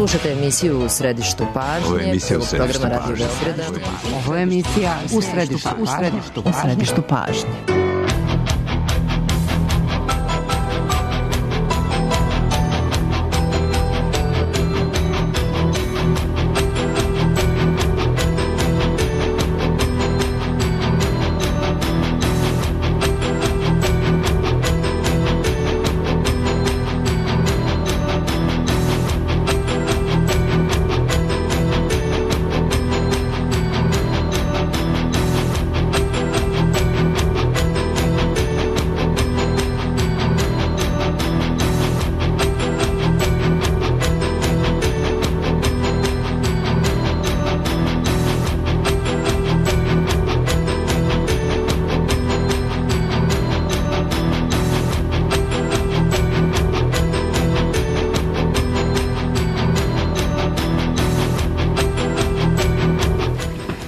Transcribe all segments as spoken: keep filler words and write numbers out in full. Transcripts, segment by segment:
Slušajte emisiju U središtu pažnje. Ovo je emisija U središtu pažnje. Ovo je emisija U središtu pažnje. U središtu pažnje.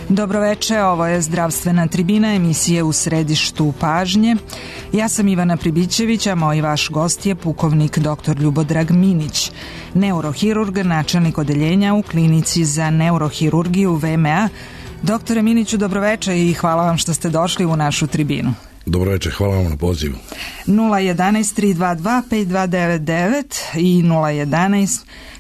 Dobroveče, ovo je Zdravstvena tribina, emisije U središtu pažnje. Ja sam Ivana Pribićević, a moj vaš gost je pukovnik doktor Ljubodrag Minić, neurohirurg, načelnik odeljenja u klinici za neurohirurgiju V M A. Doktore Miniću, dobroveče i hvala vam što ste došli u našu tribinu. Dobroveče, hvala vam na pozivu. nula jedan tri dva dva pet dva devet devet i nula jedan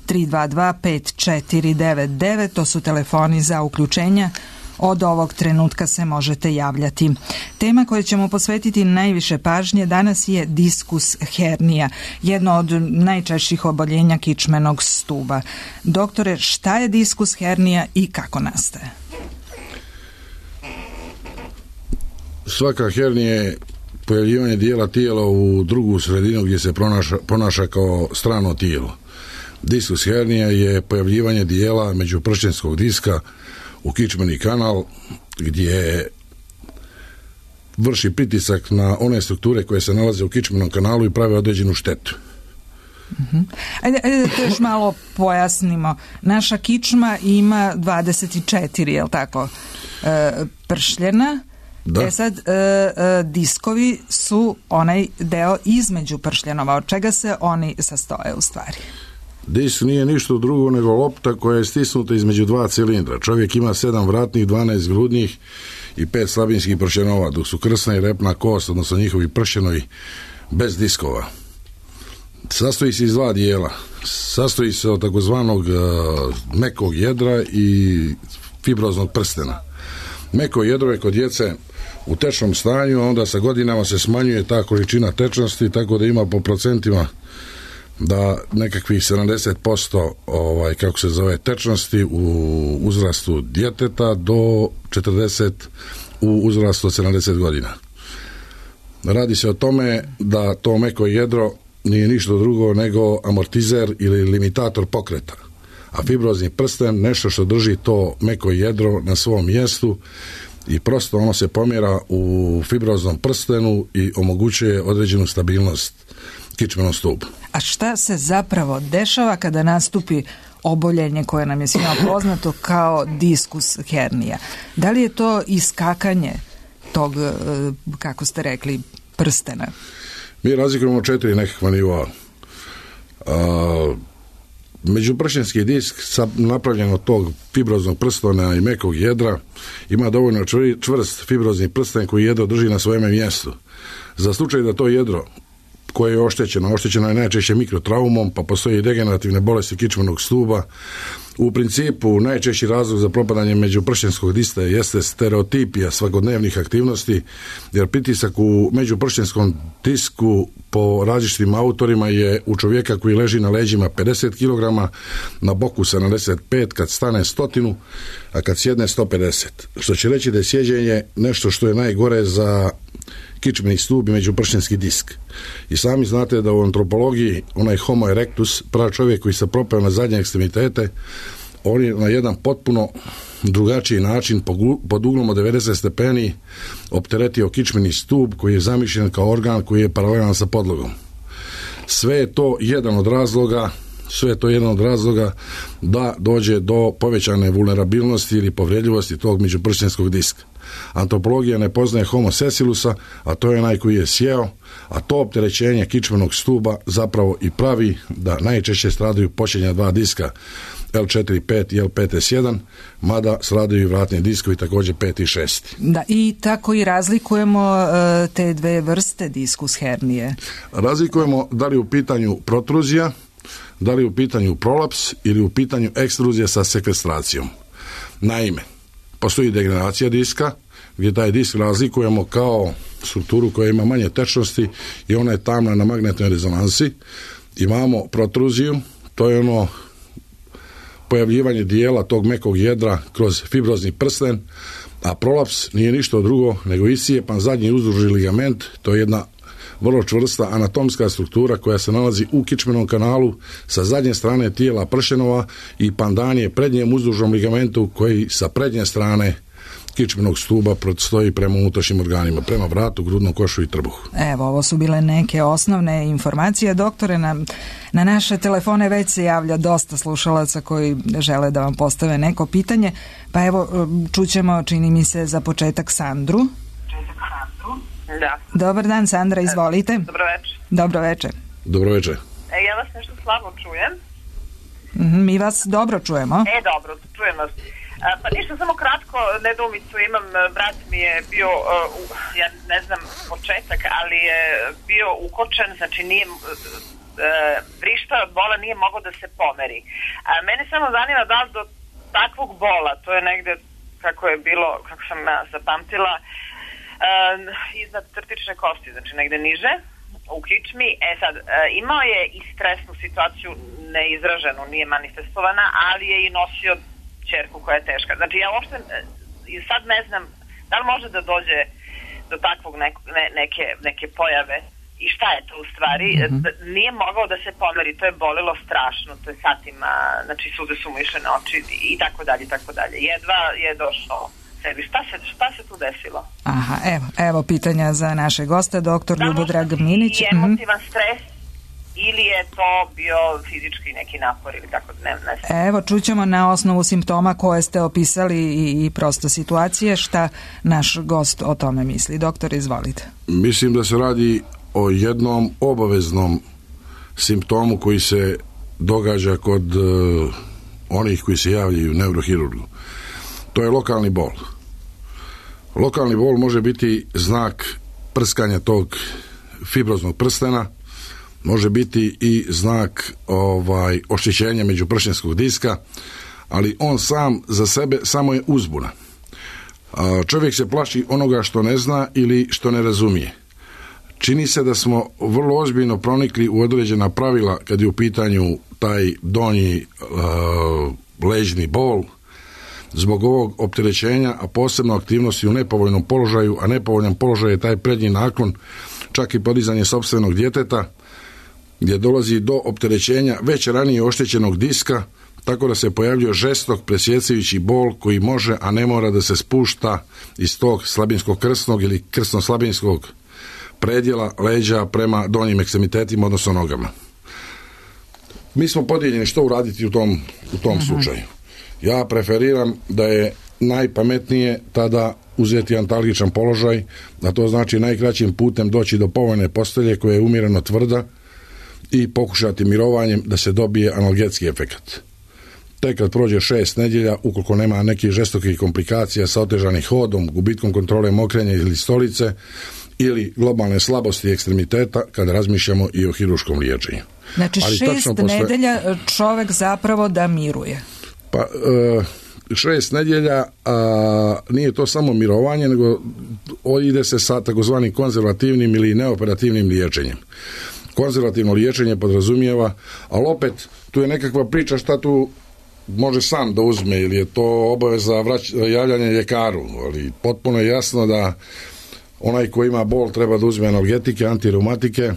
tri dva dva pet četiri devet devet, to su telefoni za uključenja. Od ovog trenutka se možete javljati. Tema koju ćemo posvetiti najviše pažnje danas je diskus hernija, jedno od najčešćih oboljenja kičmenog stuba. Doktore, šta je diskus hernija i kako nastaje? Svaka hernija je pojavljivanje dijela tijela u drugu sredinu gdje se pronaša, ponaša kao strano tijelo. Diskus hernija je pojavljivanje dijela međupršćenskog diska u kičmeni kanal gdje vrši pritisak na one strukture koje se nalaze u kičmenom kanalu i prave određenu štetu. Uh-huh. Ajde, ajde da to još malo pojasnimo. Naša kičma ima dvadeset četiri, je li tako, e, pršljena. Da. E sad, e, e, diskovi su onaj deo između pršljenova. Od čega se oni sastoje u stvari? Disk nije ništa drugo nego lopta koja je stisnuta između dva cilindra. Čovjek ima sedam vratnih, dvanaest grudnih i pet slabinskih pršljenova, dok su krsna i repna kost, odnosno njihovi pršljenovi, bez diskova. Sastoji se iz dva dijela. Sastoji se od takozvanog uh, mekog jedra i fibroznog prstena. Meko jedro je kod djece u tečnom stanju, a onda sa godinama se smanjuje ta količina tečnosti, tako da ima po procentima da nekakvih sedamdeset posto ovaj, kako se zove, tečnosti u uzrastu djeteta do četrdeset u uzrastu od sedamdeset godina. Radi se o tome da to meko jedro nije ništa drugo nego amortizer ili limitator pokreta, a fibrozni prsten nešto što drži to meko jedro na svom mjestu i prosto ono se pomjera u fibroznom prstenu i omogućuje određenu stabilnost kičmenom stubu. A šta se zapravo dešava kada nastupi oboljenje koje nam je svima poznato kao diskus hernija? Da li je to iskakanje tog, kako ste rekli, prstena? Mi razlikujemo četiri nekakva nivoa. Međupršljenski disk napravljen od tog fibroznog prstena i mekog jedra ima dovoljno čvrst fibrozni prsten koji jedro drži na svojeme mjestu. Za slučaj da to jedro koje je oštećeno, oštećeno je najčešće mikrotraumom, pa postoji degenerativne bolesti kičmenog stuba. U principu najčešći razlog za propadanje međupršljenskog diska jeste stereotipija svakodnevnih aktivnosti, jer pritisak u međupršljenskom disku po različitim autorima je u čovjeka koji leži na leđima pedeset kilograma, na boku sedamdeset pet, kad stane stotinu, a kad sjedne sto pedeset. Što će reći da je sjeđenje nešto što je najgore za kičmeni stub i međupršljenski disk. I sami znate da u antropologiji onaj homo erectus, prav čovjek koji se propeo na zadnje ekstremitete, on je na jedan potpuno drugačiji način pod uglom od devedeset stepeni opteretio kičmeni stub koji je zamišljen kao organ koji je paralelan sa podlogom. Sve je to jedan od razloga sve je to jedan od razloga da dođe do povećane vulnerabilnosti ili povredljivosti tog međupršljenskog diska. Antropologija ne poznaje homo sesilusa, a to je onaj koji je sjeo, a to opterećenje kičmenog stuba zapravo i pravi da najčešće stradaju posljednja dva diska L četiri pet i L pet S jedan, mada stradaju i vratni diskovi također pet i šest. Da, i tako i razlikujemo uh, te dve vrste diskus hernije. Razlikujemo da li u pitanju protruzija, da li u pitanju prolaps ili u pitanju ekstruzija sa sekvestracijom. Naime, postoji degeneracija diska, gdje taj disk razlikujemo kao strukturu koja ima manje tečnosti i ona je tamna na magnetnoj rezonansi. Imamo protruziju, to je ono pojavljivanje dijela tog mekog jedra kroz fibrozni prsten, a prolaps nije ništa drugo nego isijepan zadnji uzdužni ligament, to je jedna vrlo čvrsta anatomska struktura koja se nalazi u kičmenom kanalu sa zadnje strane tijela pršenova i pandan je prednjem uzdužnom ligamentu koji sa prednje strane kičmenog stuba stoji prema unutrašnjim organima, prema vratu, grudnom košu i trbuhu. Evo, ovo su bile neke osnovne informacije. Doktore, na, na naše telefone već se javlja dosta slušalaca koji žele da vam postave neko pitanje, pa evo, čućemo, čini mi se, za početak Sandru. Da. Dobar dan, Sandra, izvolite. Dobro večer. Dobro večer. Dobro večer. E, ja vas nešto slabo čujem. Mm-hmm, mi vas dobro čujemo. E, dobro, čujem vas. A, pa ništa, samo kratko nedoumicu imam. Brat mi je bio, uh, ja ne znam početak, ali je bio ukočen, znači nije, uh, vrišta od bola nije mogao da se pomeri. A mene samo zanima da li do takvog bola, to je negde kako je bilo, kako sam ja zapamtila, Uh, iznad crtične kosti, znači negde niže u kičmi. E sad, uh, imao je i stresnu situaciju neizraženu, nije manifestovana, ali je i nosio ćerku koja je teška. Znači ja uopšte uh, sad ne znam da li može da dođe do takvog neko, ne, neke, neke pojave i šta je to u stvari. Mm-hmm. Nije mogao da se pomeri, to je bolelo strašno, to je satima, znači suze su mu išle na oči i tako dalje, i tako dalje. Jedva je došao sebi. Šta se, šta se tu desilo? Aha, evo, evo pitanja za naše goste, doktor Ljubodrag Minić. I emotivan mm-hmm. stres ili je to bio fizički neki napor ili tako, ne, ne znam. Evo, čućemo na osnovu simptoma koje ste opisali i, i prosto situacije, šta naš gost o tome misli. Doktor, izvolite. Mislim da se radi o jednom obaveznom simptomu koji se događa kod uh, onih koji se javljaju neurohirurgu. To je lokalni bol. Lokalni bol može biti znak prskanja tog fibroznog prstena, može biti i znak ovaj oštećenja međupršenskog diska, ali on sam za sebe samo je uzbuna. A čovjek se plaši onoga što ne zna ili što ne razumije. Čini se da smo vrlo ozbiljno pronikli u određena pravila kad je u pitanju taj donji uh, ležni bol, zbog ovog opterećenja, a posebno aktivnosti u nepovoljnom položaju, a nepovoljan položaj je taj prednji naklon, čak i podizanje sopstvenog djeteta, gdje dolazi do opterećenja već ranije oštećenog diska, tako da se pojavljuje žestok presjecajući bol koji može, a ne mora da se spušta iz tog slabinskog krsnog ili krsno-slabinskog predjela leđa prema donjim ekstremitetima, odnosno nogama. Mi smo podijeljeni što uraditi u tom, u tom uh-huh. slučaju. Ja preferiram da je najpametnije tada uzeti antalgičan položaj, a to znači najkraćim putem doći do povoljne postelje koja je umjereno tvrda i pokušati mirovanjem da se dobije analgetski efekat. Tek kad prođe šest nedjelja, ukoliko nema nekih žestokih komplikacija sa otežanim hodom, gubitkom kontrole mokrenja ili stolice ili globalne slabosti ekstremiteta, kada razmišljamo i o hiruškom liječenju. Znači ali šest posle... nedjelja čovjek zapravo da miruje. Pa e, šest nedjelja a, nije to samo mirovanje, nego ide se sa takozvanim konzervativnim ili neoperativnim liječenjem. Konzervativno liječenje podrazumijeva, ali opet tu je nekakva priča šta tu može sam da uzme ili je to obaveza vrać, javljanja ljekaru, ali potpuno je jasno da onaj ko ima bol treba da uzme analgetike, antireumatike,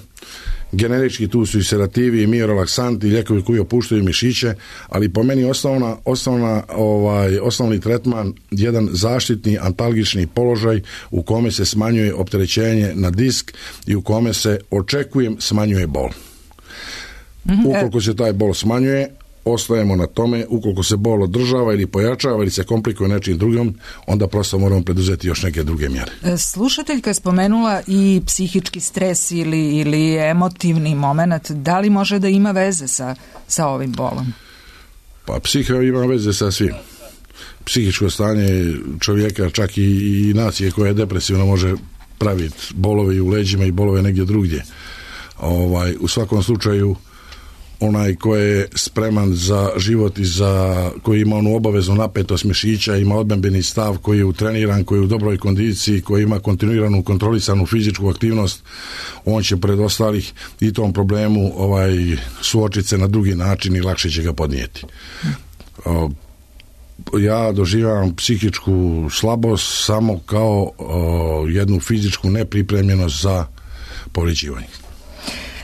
generički tu su i sedativi i miorelaksanti, lijekovi koji opuštaju mišiće, ali po meni osnovna, osnovna, ovaj, osnovni tretman jedan zaštitni antalgični položaj u kome se smanjuje opterećenje na disk i u kome se, očekujem, smanjuje bol. Mm-hmm. Ukoliko se taj bol smanjuje, ostajemo na tome, ukoliko se bol održava ili pojačava ili se komplikuje nečim drugim, onda prosto moramo preduzeti još neke druge mjere. Slušateljka je spomenula i psihički stres ili, ili emotivni moment. Da li može da ima veze sa, sa ovim bolom? Pa psiha ima veze sa svim. Psihičko stanje čovjeka, čak i, i nacije koja je depresivna, može praviti bolove i u leđima i bolove negdje drugdje. Ovaj, u svakom slučaju onaj ko je spreman za život i za, koji ima onu obaveznu napetost mišića, ima odbrambeni stav, koji je utreniran, koji je u dobroj kondiciji, koji ima kontinuiranu kontrolisanu fizičku aktivnost, on će pred ostalih i tom problemu ovaj, suočiti se na drugi način i lakše će ga podnijeti. O, ja doživljavam psihičku slabost samo kao o, jednu fizičku nepripremljenost za povređivanje.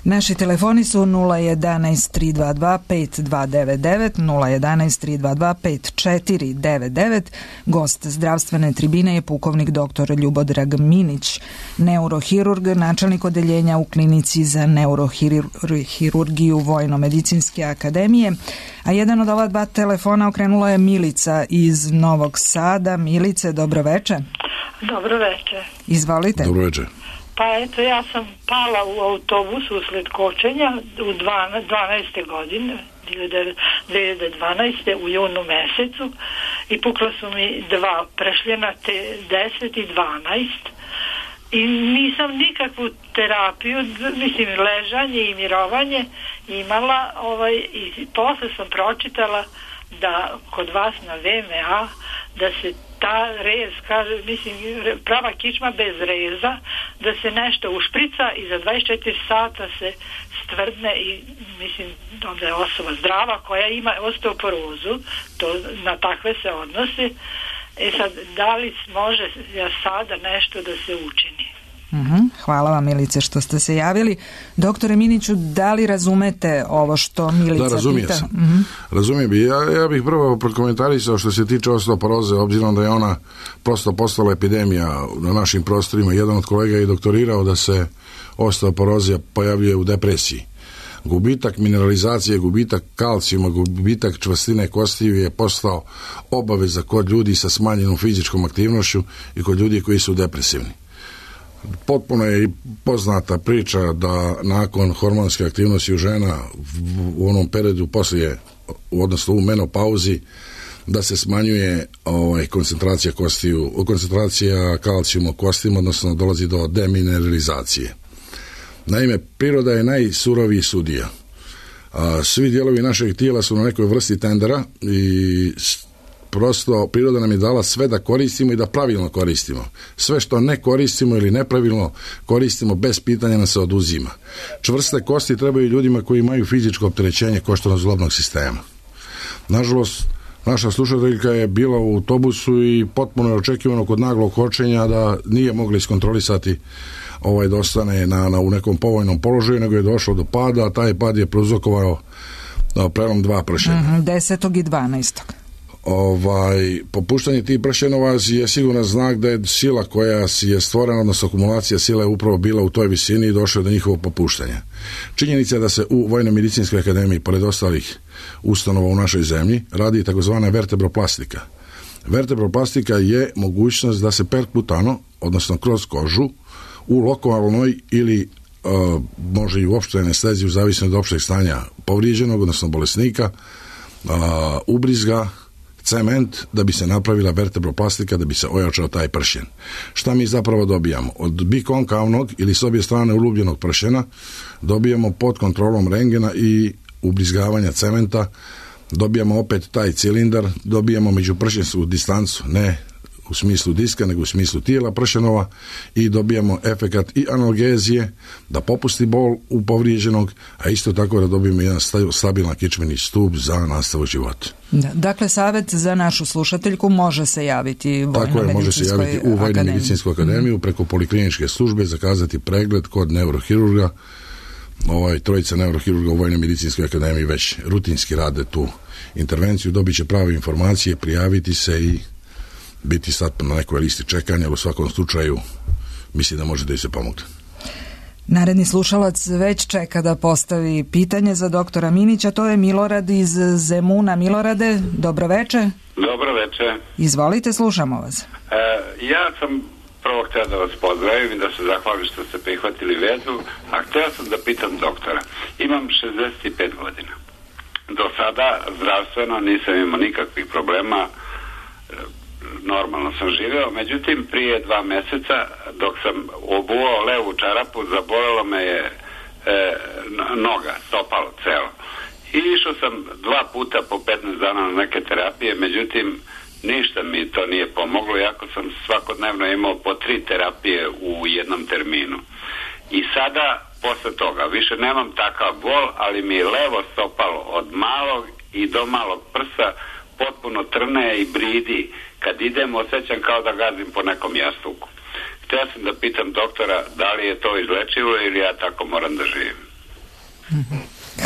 Naši telefoni su nula jedanaest tri dva dva pet dva devet devet, nula jedanaest tri dva dva pet četiri devet devet. Gost zdravstvene tribine je pukovnik doktor Ljubodrag Minić, neurohirurg, načelnik odeljenja u klinici za neurohirurgiju Vojno-medicinske akademije. A jedan od ova dva telefona okrenula je Milica iz Novog Sada. Milice, dobro veče. Dobro veče. Izvolite. Dobro veče. Pa eto, ja sam pala u autobus usled kočenja u dvanaeste godine, dvije hiljade dvanaeste u junu mesecu, i pukla su mi dva pršljena, te deset i dvanaest, i nisam nikakvu terapiju, mislim ležanje i mirovanje imala, ovaj, i posle sam pročitala da kod vas na V M A da se ta rez, kaže, mislim, prava kičma bez reza, da se nešto ušprica i za dvadeset četiri sata se stvrdne i, mislim, onda je osoba zdrava koja ima osteoporozu, to na takve se odnosi. E sad, da li može ja sada nešto da se učini? Uh-huh. Hvala vam, Milice, što ste se javili. Doktore Miniću, da li razumete ovo što Milica da, razumije pita? Sam. Uh-huh. Razumijem bi. Ja, ja bih prvo prokomentarisao što se tiče osteoporoze, obzirom da je ona prosto postala epidemija na našim prostorima. Jedan od kolega je doktorirao da se osteoporozija pojavljuje u depresiji. Gubitak mineralizacije, gubitak kalcijuma, gubitak čvrstine kostiju je postao obaveza kod ljudi sa smanjenom fizičkom aktivnošću i kod ljudi koji su depresivni. Potpuno je i poznata priča da nakon hormonske aktivnosti u žena u onom periodu poslije, odnosno u menopauzi, da se smanjuje ovaj, koncentracija kostiju, koncentracija kalcijuma u kostima, odnosno dolazi do demineralizacije. Naime, priroda je najsuroviji sudija. A, svi dijelovi našeg tijela su na nekoj vrsti tendera i prosto priroda nam je dala sve da koristimo i da pravilno koristimo. Sve što ne koristimo ili nepravilno koristimo, bez pitanja nas se oduzima. Čvrste kosti trebaju ljudima koji imaju fizičko opterećenje koštano-zglobnog sistema. Nažalost, naša slušateljka je bila u autobusu i potpuno je očekivano kod naglog kočenja da nije mogla iskontrolisati ovaj da ostane na, na, u nekom povoljnom položaju, nego je došlo do pada, a taj pad je prouzrokovao prelom dva pršenja. Mm-hmm, desetog i dvanaestog Ovaj, popuštanje tih pršenova je siguran znak da je sila koja je stvorena, odnosno akumulacija sila je upravo bila u toj visini i došlo je do njihovog popuštanja. Činjenica je da se u Vojno-medicinskoj akademiji, pored ostalih ustanova u našoj zemlji, radi takozvana vertebroplastika. Vertebroplastika je mogućnost da se perkutano, odnosno kroz kožu, u lokalnoj ili uh, može i u opštoj anesteziji, u zavisnosti od opšteg stanja povrijeđenog, odnosno bolesnika, uh, ubrizga cement da bi se napravila vertebroplastika, da bi se ojačao taj pršen. Šta mi zapravo dobijamo? Od bikonkavnog ili s obje strane ulubljenog pršena dobijamo pod kontrolom rengena i ubrizgavanja cementa, dobijamo opet taj cilindar, dobijamo međupršensku distancu, ne u smislu diska, nego u smislu tijela pršenova, i dobijamo efekat i analgezije da popusti bol u povrijeđenog, a isto tako da dobijemo jedan stabilan kičmeni stup za nastavu života. Da, dakle, savjet za našu slušateljku može se javiti u Tako je, može se javiti u Vojno-medicinsku akademiju, preko polikliničke službe, zakazati pregled kod neurohirurga. Ovaj, trojica neurohirurga u Vojno-medicinskoj akademiji već rutinski rade tu intervenciju, dobit će prave informacije, prijaviti se i biti sad na nekoj listi čekanja, ali u svakom slučaju mislim da može da joj se pomogne. Naredni slušalac već čeka da postavi pitanje za doktora Minića, to je Milorad iz Zemuna. Milorade, dobro veče. Dobro veče. Izvolite, slušamo vas. E, ja sam prvo htio da vas pozdravim i da se zahvalim što ste prihvatili vezu, a htio sam da pitam doktora. Imam šezdeset pet godina. Do sada zdravstveno nisam imao nikakvih problema, normalno sam živeo, međutim prije dva meseca dok sam obuo levu čarapu zabolelo me je e, noga, stopalo celo. I išao sam dva puta po petnaest dana na neke terapije, međutim ništa mi to nije pomoglo, iako sam svakodnevno imao po tri terapije u jednom terminu. I sada, posle toga, više nemam takav bol, ali mi je levo stopalo od malog i do malog prsa potpuno trne i bridi. Kad idem, osjećam kao da gazim po nekom jastuku. Htio sam da pitam doktora da li je to izlečivo ili ja tako moram da živim.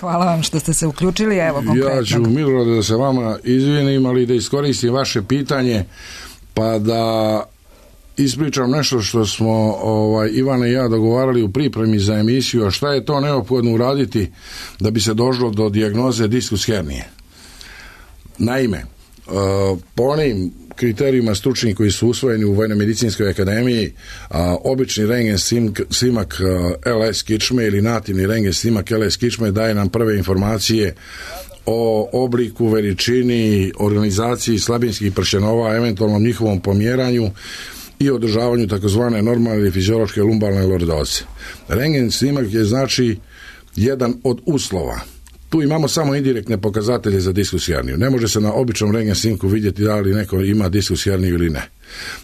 Hvala vam što ste se uključili, evo konkretno. Ja ću, Milorade, da se vama izvinim, ali da iskoristim vaše pitanje, pa da ispričam nešto što smo ovaj, Ivana i ja dogovarali u pripremi za emisiju, a šta je to neophodno uraditi da bi se došlo do dijagnoze diskus hernije. Naime, po onim kriterijima stručnih koji su usvojeni u Vojno-medicinskoj akademiji, a, obični rengen snimak L S kičme ili nativni rengen snimak L S kičme daje nam prve informacije o obliku, veličini, organizaciji slabinskih pršenova, eventualnom njihovom pomjeranju i održavanju takozvane normalne ili fiziološke lumbalne lordoze. Rengen snimak je znači jedan od uslova. Tu imamo samo indirektne pokazatelje za diskus herniju. Ne može se na običnom rengen snimku vidjeti da li neko ima diskus herniju ili ne.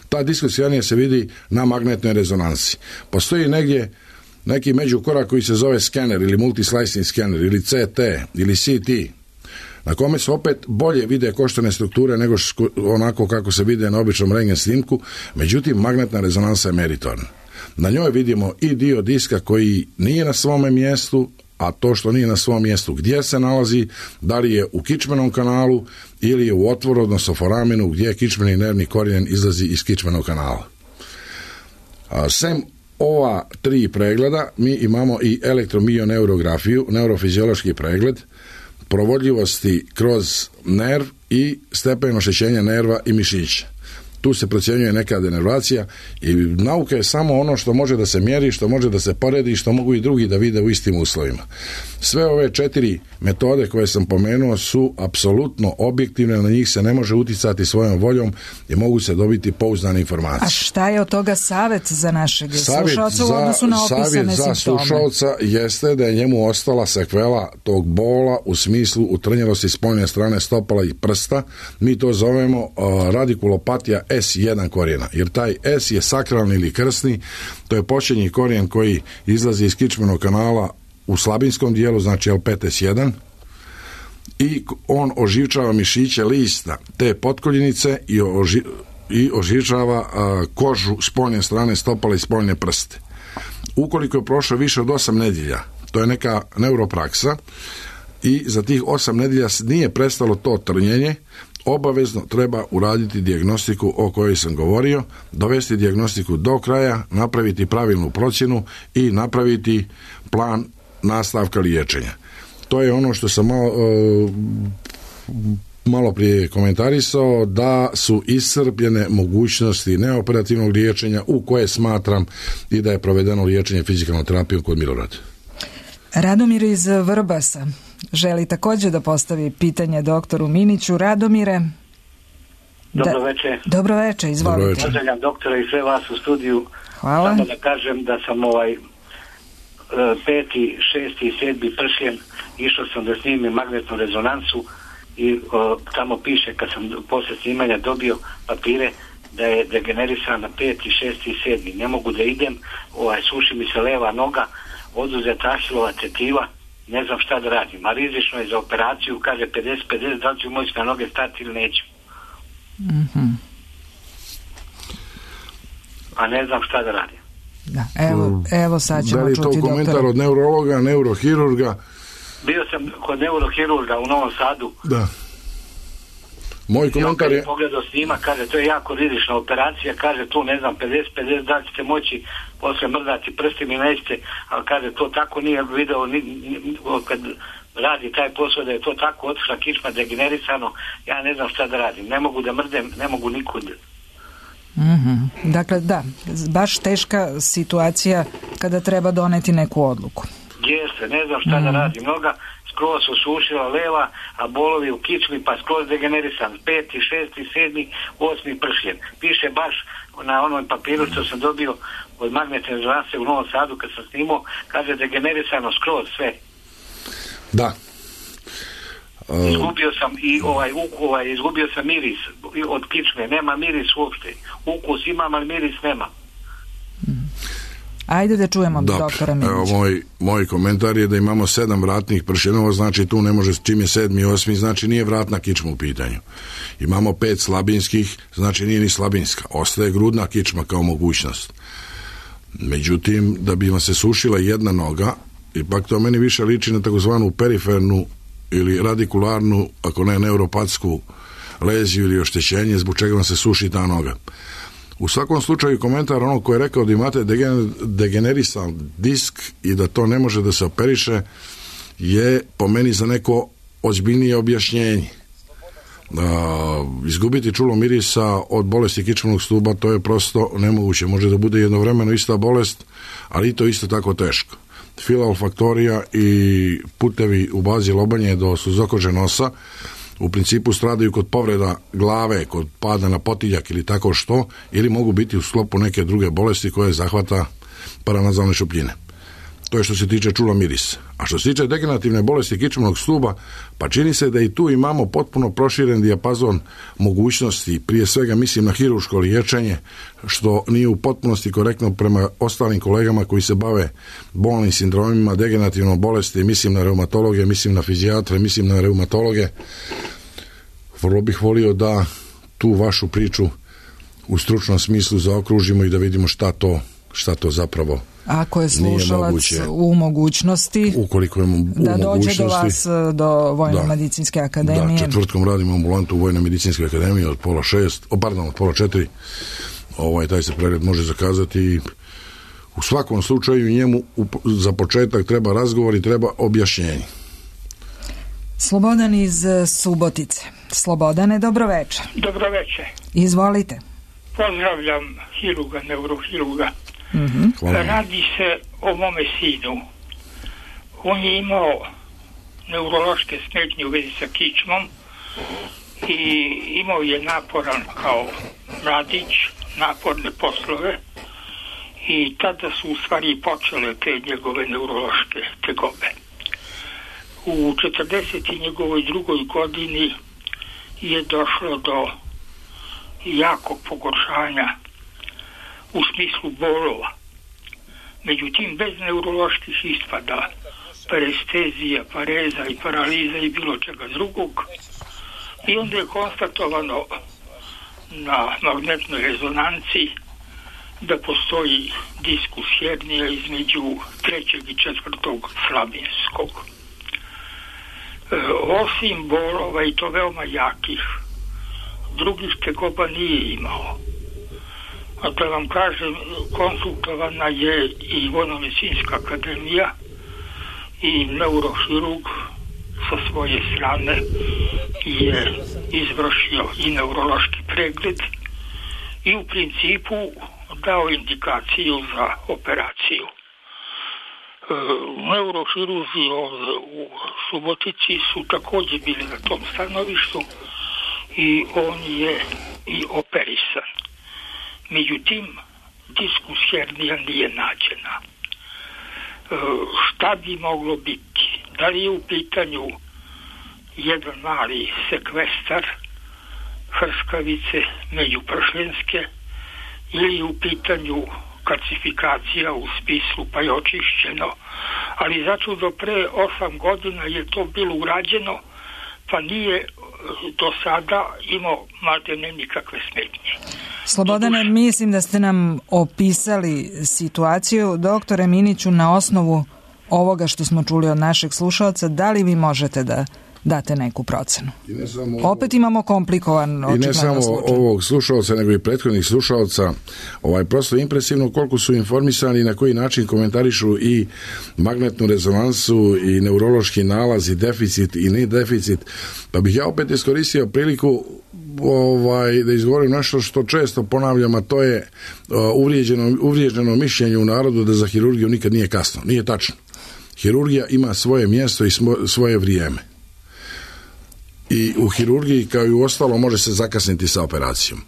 Ta diskus hernija se vidi na magnetnoj rezonansi. Postoji negdje neki međukorak koji se zove skener ili multislicing skener ili C T ili C T, na kome se opet bolje vide koštane strukture nego ško, onako kako se vide na običnom rengen snimku, međutim magnetna rezonansa je meritorna. Na njoj vidimo i dio diska koji nije na svome mjestu, a to što nije na svom mjestu gdje se nalazi, da li je u kičmenom kanalu ili je u otvoru, odnosno foramenu, gdje kičmeni nervni korijen izlazi iz kičmenog kanala. A, sem ova tri pregleda, mi imamo i elektromioneurografiju, neurofiziološki pregled, provodljivosti kroz nerv i stepen oštećenja nerva i mišića. Tu se procjenjuje neka denervacija i nauka je samo ono što može da se mjeri, što može da se poredi i što mogu i drugi da vide u istim uslovima. Sve ove četiri metode koje sam pomenuo su apsolutno objektivne, na njih se ne može uticati svojom voljom i mogu se dobiti pouzdane informacije. A šta je od toga savjet za našeg slušalca u odnosu na opisane simptome? Savjet za slušalca jeste da je njemu ostala sekvela tog bola u smislu utrnjelosti spoljne strane stopala i prsta. Mi to zovemo uh, radikulopatija S jedan korijena, jer taj S je sakralni ili krsni, to je početni korijen koji izlazi iz kičmenog kanala u slabinskom dijelu, znači L pet S jedan, i on oživčava mišiće lista te potkoljenice i, oži, i oživčava a, kožu spoljne strane stopala i spoljne prste. Ukoliko je prošlo više od osam nedjelja, to je neka neuropraksa, i za tih osam nedjelja nije prestalo to trnjenje, obavezno treba uraditi dijagnostiku o kojoj sam govorio, dovesti dijagnostiku do kraja, napraviti pravilnu procjenu i napraviti plan nastavka liječenja. To je ono što sam malo, uh, malo prije komentarisao, da su iscrpljene mogućnosti neoperativnog liječenja u koje smatram i da je provedeno liječenje fizikalnom terapijom kod Milorada. Radomir iz Vrbasa želi također da postavi pitanje doktoru Miniću. Radomire. Dobro da, večer. Dobro večer, izvolite. Pozdravljam doktora i sve vas u studiju. Hvala. Samo da kažem da sam ovaj peti, šesti i sedmi pršljen, išao sam da snimim magnetnu rezonansu i o, tamo piše, kad sam posle snimanja dobio papire, da je degenerisan na peti, šesti i sedmi. Ne mogu da idem, ovaj, suši mi se leva noga, oduzeta Ahilova tetiva, ne znam šta da radim, a rizično je za operaciju, kaže pedeset pedeset, da li ću moći na noge stati ili neću. Mm-hmm. A ne znam šta da radim. Da, evo, evo sad ćemo čuti doktora. Da li je to komentar doktora od neurologa, neurohirurga? Bio sam kod neurohirurga u Novom Sadu. Da. Moj komentar je... pogledao snima, kaže, to je jako rizična operacija, kaže, tu ne znam, pedeset pedeset, da li ćete moći posle mrdaci prsti mi nećete, ali kaže to tako nije video ni, ni, kad radi taj posao da je to tako otišla kičma degenerisano, ja ne znam šta da radim, ne mogu da mrdem, ne mogu nikud. Mm-hmm. Dakle, da, baš teška situacija kada treba doneti neku odluku. Jeste, ne znam šta mm. da radim, noga skroz osušila leva, a bolovi u kičmi pa skroz degenerisan, peti, šesti, sedmi, osmi pršljen. Piše baš na onom papiru što sam dobio od magnetne rezonance u Novom Sadu kad sam snimao, kaže degenerisano skroz sve. Da. Uh... Izgubio sam i ovaj, uku, ovaj, izgubio sam miris od kičme, nema miris uopšte. Ukus imam, ali miris nema. Ajde da čujemo doktora Minića. Evo, moj, moj komentar je da imamo sedam vratnih pršenova, znači tu ne može, čim je sedmi i osmi, znači nije vratna kičma u pitanju. Imamo pet slabinskih, znači nije ni slabinska. Ostaje grudna kičma kao mogućnost. Međutim, da bi vam se sušila jedna noga, ipak to meni više liči na takozvanu perifernu ili radikularnu, ako ne neuropatsku leziju ili oštećenje, zbog čega vam se suši ta noga. U svakom slučaju komentar onog koji je rekao da imate degenerisan disk i da to ne može da se operiše je po meni za neko ozbiljnije objašnjenje. Da, izgubiti čulo mirisa od bolesti kičmenog stuba, to je prosto nemoguće. Može da bude jednovremeno ista bolest, ali i to isto tako teško. Filaolfaktorija i putevi u bazi lobanje do suzokože nosa u principu stradaju kod povreda glave, kod pada na potiljak ili tako što, ili mogu biti u sklopu neke druge bolesti koje zahvata paranazalne šupljine. To je što se tiče čula mirisa. A što se tiče degenerativne bolesti kičmenog stuba, pa čini se da i tu imamo potpuno proširen dijapazon mogućnosti, prije svega mislim na hirurško liječenje, što nije u potpunosti korektno prema ostalim kolegama koji se bave bolnim sindromima, degenerativnom bolesti, mislim na reumatologe, mislim na fizijatre, mislim na reumatologe. Vrlo bih volio da tu vašu priču u stručnom smislu zaokružimo i da vidimo šta to, šta to zapravo ako je slušalac u mogućnosti ukoliko je u da dođe do vas do Vojno-medicinske akademije. Da, četvrtkom radimo ambulantu u Vojno-medicinske akademije od pola šest, o, pardon, od pola četiri. Ovaj, taj se pregled može zakazati i u svakom slučaju njemu za početak treba razgovor i treba objašnjenje. Slobodan iz Subotice. Slobodane, dobroveče. Dobroveče. Izvolite. Pozdravljam hiruga, neurohiruga. Mm-hmm. Radi se o mome sinu. On je imao neurološke smetnje u vezi sa kičmom i imao je naporan kao mladić, naporne poslove i tada su u stvari počele te njegove neurološke tegobe. U četrdeset njegovoj drugoj godini je došlo do jakog pogoršanja u smislu bolova. Međutim, bez neuroloških ispada, parestezija, pareza i paraliza i bilo čega drugog. I onda je konstatovano na magnetnoj rezonanci da postoji diskus hernija između trećeg i četvrtog slabinskog. E, osim bolova i to veoma jakih, drugih tegoba nije imao. A da vam kažem, konsultovana je i Vojno-medicinska akademija i neurohirurg sa svoje strane je izvršio i neurološki pregled i u principu dao indikaciju za operaciju. E, neurohiruzi u Subotici su također bili na tom stanovištu i on je i operisan. Međutim, diskus hernija nije nađena. E, šta bi moglo biti? Da li je u pitanju jedan mali sekvestar hrskavice međupršljenske ili je u pitanju kalcifikacija u smislu pa je očišćeno, ali zato do pre osam godina je to bilo urađeno pa nije do sada imao maltene nikakve smetnje. Slobodane, mislim da ste nam opisali situaciju. Doktore Miniću, na osnovu ovoga što smo čuli od našeg slušalca, da li vi možete da date neku procenu. I ne samo Opet imamo komplikovan očigledno I ne samo slučaj. ovog slušalca, nego i prethodnih slušalca. Ovaj, prosto impresivno koliko su informisani i na koji način komentarišu i magnetnu rezonansu i neurološki nalaz i deficit i ne deficit. Pa bih ja opet iskoristio priliku ovaj, da izgovorim nešto što često ponavljam, a to je uh, uvrijeđeno, uvrijeđeno mišljenje u narodu da za hirurgiju nikad nije kasno. Nije tačno. Hirurgija ima svoje mjesto i smo, svoje vrijeme. I u hirurgiji, kao i u ostalo, može se zakasniti sa operacijom.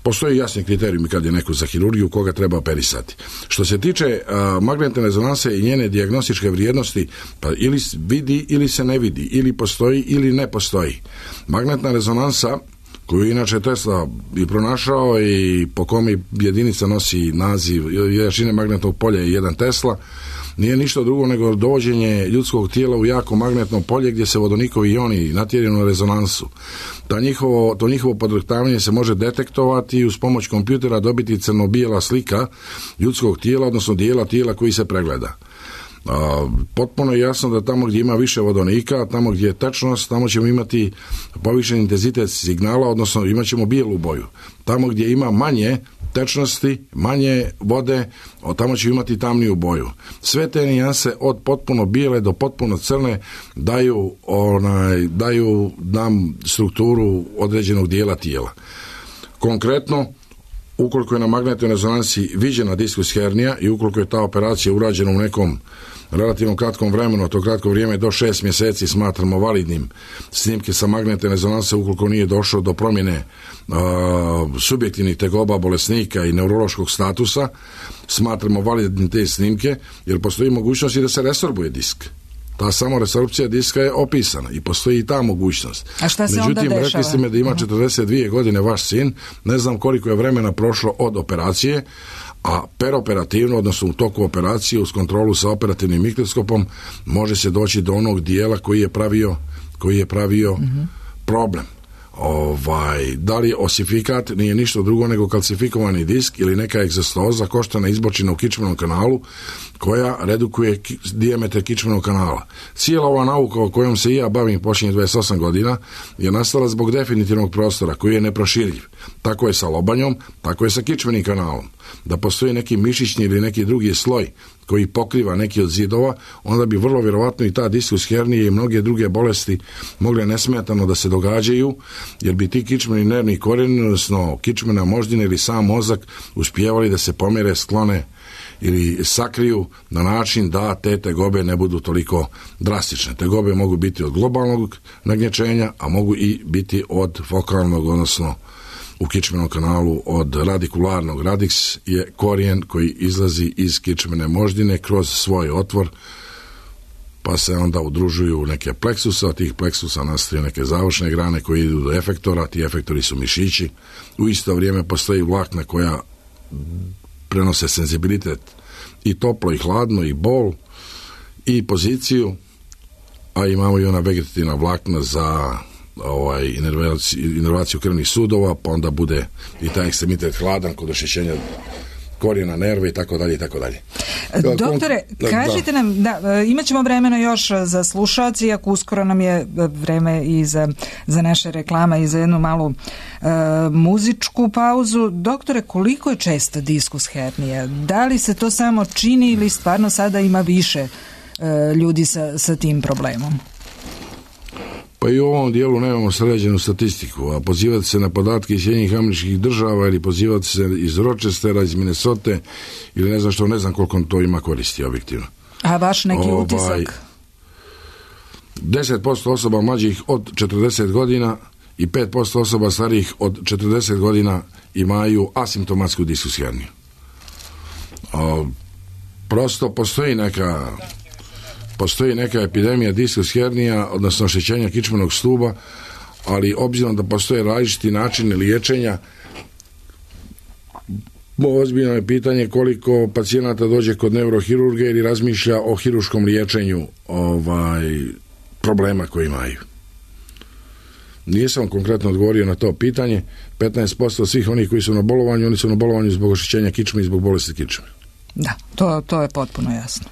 Postoji jasni kriterijumi kad je neko za hirurgiju, koga treba operisati. Što se tiče a, magnetne rezonanse i njene dijagnostičke vrijednosti, pa ili vidi ili se ne vidi, ili postoji ili ne postoji. Magnetna rezonansa, koju inače Tesla i pronašao i po kome jedinica nosi naziv jačine magnetnog polja je jedan Tesla, nije ništa drugo nego dovođenje ljudskog tijela u jako magnetno polje gdje se vodonikovi ioni natjeraju na rezonansu. Ta njihovo, to njihovo podrhtavanje se može detektovati i uz pomoć kompjutera dobiti crno-bijela slika ljudskog tijela, odnosno dijela tijela koji se pregleda. A, potpuno je jasno da tamo gdje ima više vodonika, tamo gdje je tečnost, tamo ćemo imati povišen intenzitet signala, odnosno imat ćemo bijelu boju. Tamo gdje ima manje tečnosti, manje vode, tamo ćemo imati tamniju boju. Sve te nijanse od potpuno bijele do potpuno crne daju, onaj, daju nam strukturu određenog dijela tijela. Konkretno, ukoliko je na magnetnoj rezonansi viđena diskus hernija i ukoliko je ta operacija urađena u nekom relativno kratkom vremenu, to kratko vrijeme do šest mjeseci smatramo validnim snimke sa magnetne rezonanse ukoliko nije došlo do promjene uh, subjektivnih tegoba bolesnika i neurološkog statusa, smatramo validnim te snimke, jer postoji mogućnost i da se resorbuje disk. Ta samo resorpcija diska je opisana i postoji i ta mogućnost. A šta se Međutim, onda dešava? rekli ste me da ima četrdeset dvije godine vaš sin, ne znam koliko je vremena prošlo od operacije, a peroperativno, odnosno u toku operacije uz kontrolu sa operativnim mikroskopom može se doći do onog dijela koji je pravio, koji je pravio mm-hmm. problem. Ovaj, da li osifikat nije ništa drugo nego kalcifikovani disk ili neka egzostoza koštana izbočina u kičmenom kanalu koja redukuje ki, dijametar kičmenog kanala. Cijela ova nauka o kojom se i ja bavim posljednjih dvadeset osam godina je nastala zbog definitivnog prostora koji je neproširljiv. Tako je sa lobanjom, tako je sa kičmenim kanalom. Da postoji neki mišićni ili neki drugi sloj koji pokriva neki od zidova, onda bi vrlo vjerovatno i ta diskus hernije i mnoge druge bolesti mogle nesmetano da se događaju, jer bi ti kičmeni nervni korijeni, odnosno kičmena moždina ili sam mozak uspijevali da se pomere, sklone ili sakriju na način da te tegobe ne budu toliko drastične. Tegobe mogu biti od globalnog nagnječenja, a mogu i biti od fokalnog, odnosno u kičmenom kanalu od radikularnog. Radix je korijen koji izlazi iz kičmene moždine kroz svoj otvor, pa se onda udružuju neke pleksusa, od tih pleksusa nastaju neke završne grane koje idu do efektora, ti efektori su mišići. U isto vrijeme postoji vlakna koja prenose senzibilitet i toplo i hladno i bol i poziciju, a imamo i ona vegetativna vlakna za ovaj, inervaciju, inervaciju krvnih sudova, pa onda bude i taj ekstremitet hladan kod oštećenja korijena nerve i tako dalje i tako dalje. Doktore, kažite nam, da, imat ćemo vremena još za slušalci, iako uskoro nam je vreme i za, za naše reklama i za jednu malu e, muzičku pauzu. Doktore, koliko je česta diskus hernija? Da li se to samo čini ili stvarno sada ima više e, ljudi sa, sa tim problemom? Pa i u ovom dijelu nemamo sređenu statistiku, a pozivati se na podatke iz Sjedinjenih Američkih Država ili pozivati se iz Rochestera, iz Minnesote ili ne znam što, ne znam koliko to ima koristi objektivno. A vaš neki ovaj, utisak? deset posto osoba mlađih od četrdeset godina i pet posto osoba starijih od četrdeset godina imaju asimptomatsku diskus herniju. Prosto postoji neka... Postoji neka epidemija diskus hernija, odnosno oštećenja kičmenog stuba, ali obzirom da postoje različiti načini liječenja, ozbiljno je pitanje koliko pacijenata dođe kod neurohirurga ili razmišlja o hiruškom liječenju ovaj, problema koji imaju. Nisam konkretno odgovorio na to pitanje. petnaest posto svih onih koji su na bolovanju, oni su na bolovanju zbog oštećenja kičme i zbog bolesti kičme. Da, to, to je potpuno jasno.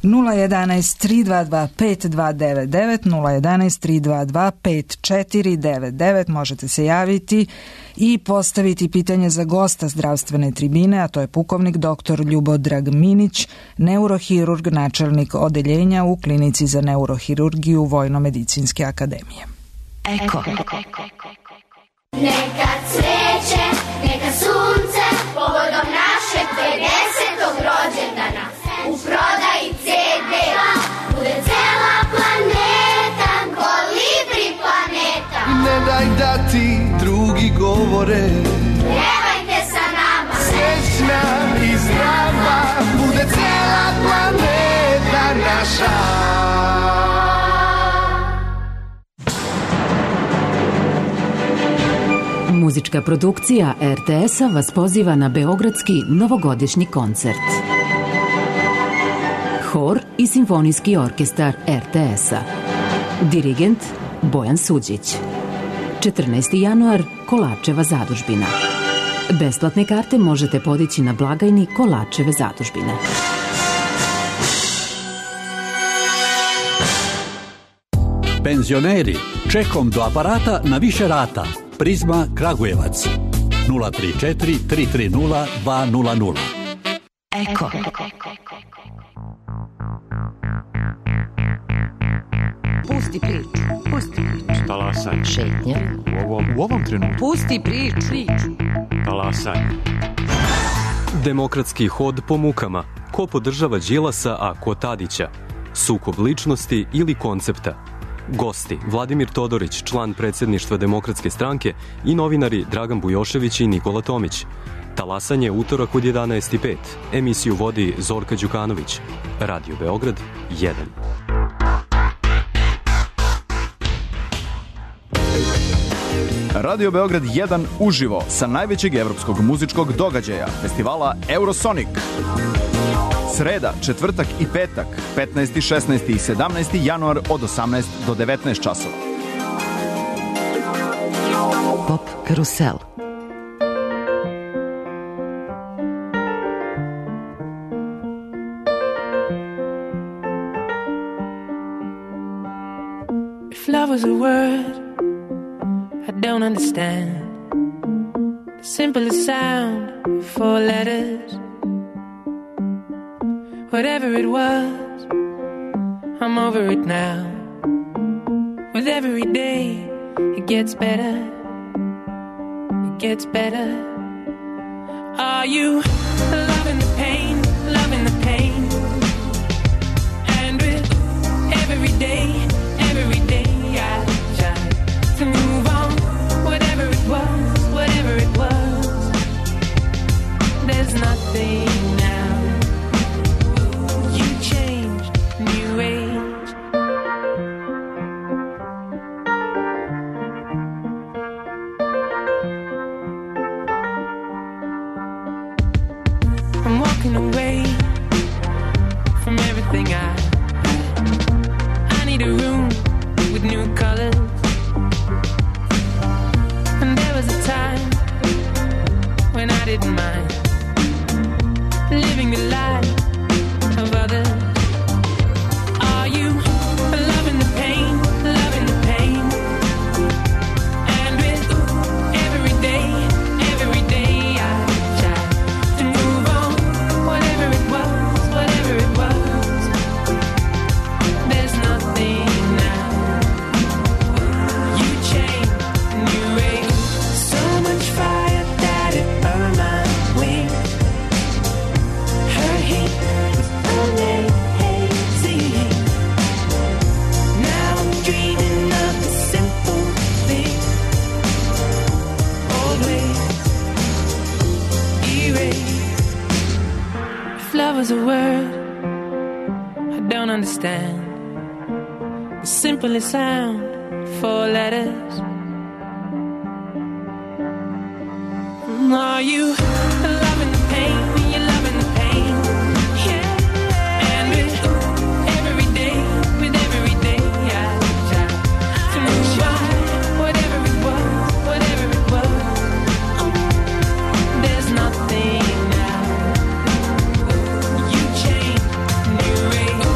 nula jedan tri dva dva pet dva devet devet, nula jedan tri dva dva pet četiri devet devet. Možete se javiti i postaviti pitanje za gosta zdravstvene tribine, a to je pukovnik doktor Ljubodrag Minić, neurohirurg, načelnik odeljenja u Klinici za neurohirurgiju Vojno-medicinske akademije. Eko. Neka cveće, neka sunce, povodom našeg pedesetog rođendana, u prodaji ce de, bude cela planeta, kolibri planeta. Ne daj da ti drugi govore, pjevajte sa nama, srećna i zdrava, bude cela planeta naša. Muzička produkcija er te es-a vas poziva na beogradski novogodišnji koncert. Hor i simfonijski orkestar er te es-a. Dirigent Bojan Suđić. četrnaesti januar, Kolačeva zadužbina. Besplatne karte možete podići na blagajni Kolačeve zadužbine. Penzioneri, čekom do aparata na više rata. Prizma Kragujevac nula tri četiri tri tri nula dva nula nula. Eko. Pusti priču, pusti priču. Talasaj. Šetnja. U ovom, u ovom trenutku. Pusti priču. Talasaj. Demokratski hod po mukama. Ko podržava Đilasa, a ko Tadića? Sukob ličnosti ili koncepta? Gosti Vladimir Todorić, član predsjedništva Demokratske stranke, i novinari Dragan Bujošević i Nikola Tomić. Talasanje utorak od jedanaest i pet. Emisiju vodi Zorka Đukanović. Radio Beograd jedan. Radio Beograd jedan uživo sa najvećeg evropskog muzičkog događaja, festivala Eurosonic. Sreda, četvrtak i petak, petnaesti, šesnaesti i sedamnaesti januar od osamnaest do devetnaest časova. Pop Karusel. If love was a word I don't understand, the simplest sound, four letters. Whatever it was, I'm over it now. With every day, it gets better. It gets better. Are you loving the pain, loving the pain? And with every day, every day I try to move on. Whatever it was, whatever it was, there's nothing now. You changed, new age. I'm walking away from everything I I need a room with new colors. And there was a time when I didn't mind living the life of others. Are you loving the pain, loving the pain? And with every day, every day I try to move on. Whatever it was, whatever it was, there's nothing now. You changed, new age. So much fire that it burned my wings. Her heat was amazing. Now I'm dreaming of the simple thing. Always erase. If love was a word I don't understand, the simplest sound, four letters. Are you loving the pain? You're loving the pain. Yeah. And with every day, with every day, I try to move on. Whatever it was, whatever it was, there's nothing now. You changed, new age.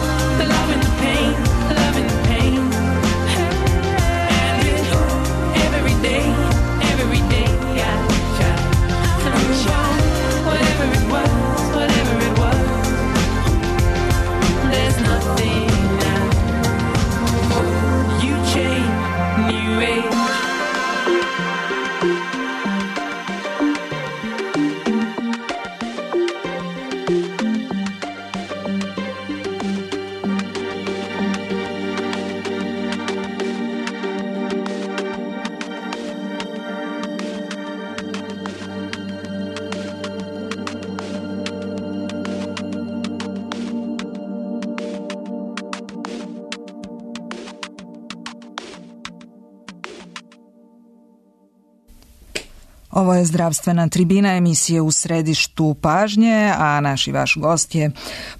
Ovo je zdravstvena tribina emisije U središtu pažnje, a naš i vaš gost je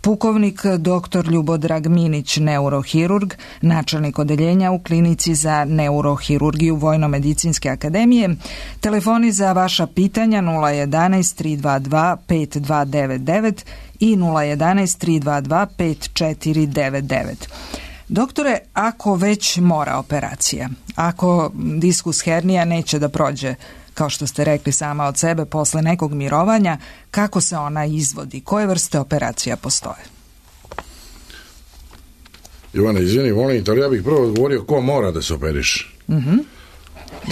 pukovnik doktor Ljubodrag Minić, neurohirurg, načelnik odeljenja u klinici za neurohirurgiju Vojno-medicinske akademije. Telefoni za vaša pitanja nula jedanaest tri dva dva pet dva devet devet i nula jedanaest tri dva dva pet četiri devet devet. Doktore, ako već mora operacija, ako diskus hernija neće da prođe, kao što ste rekli sama od sebe, posle nekog mirovanja, kako se ona izvodi? Koje vrste operacija postoje? Ivana, izvini, volim, ali ja bih prvo odgovorio ko mora da se operiše. Mm-hmm.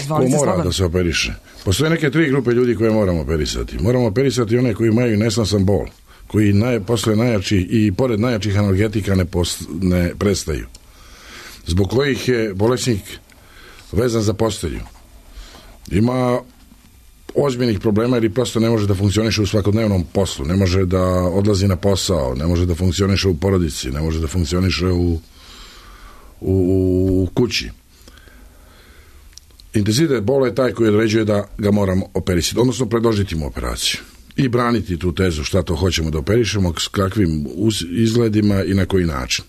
Ko mora slobodno da se operiše? Postoje neke tri grupe ljudi koje moramo operisati. Moramo operisati one koji imaju nesnosan bol, koji naj, posle najjači i pored najjačih analgetika ne, post, ne prestaju. Zbog kojih je bolesnik vezan za postelju. Ima ozbiljnih problema jer prosto ne može da funkcioniše u svakodnevnom poslu, ne može da odlazi na posao, ne može da funkcioniše u porodici, ne može da funkcioniše u, u, u kući. Intenzitet bola je taj koji određuje da ga moramo operisati, odnosno predložiti mu operaciju i braniti tu tezu šta to hoćemo da operišemo, s kakvim izgledima i na koji način.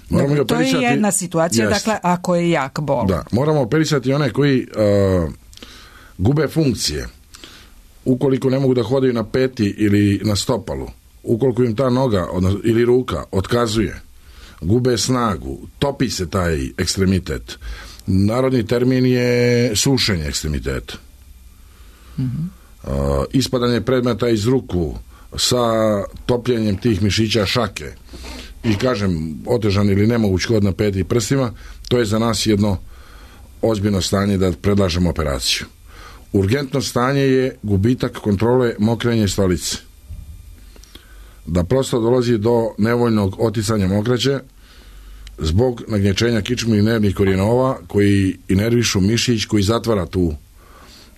Moramo dakle, to je jedna situacija, jest. Dakle, ako je jak bol. Da, moramo operisati one koji uh, gube funkcije, ukoliko ne mogu da hodaju na peti ili na stopalu, ukoliko im ta noga odnosno, ili ruka otkazuje, gube snagu, topi se taj ekstremitet. Narodni termin je sušenje ekstremiteta. Mm-hmm. Uh, ispadanje predmeta iz ruku sa topljenjem tih mišića šake i kažem otežan ili nemoguć hod na peti i prstima, to je za nas jedno ozbiljno stanje da predlažemo operaciju. Urgentno stanje je gubitak kontrole mokrenja stolice. Da prosto dolazi do nevoljnog oticanja mokraće zbog nagnječenja kičmenih nervnih korijenova koji inervišu mišić koji zatvara tu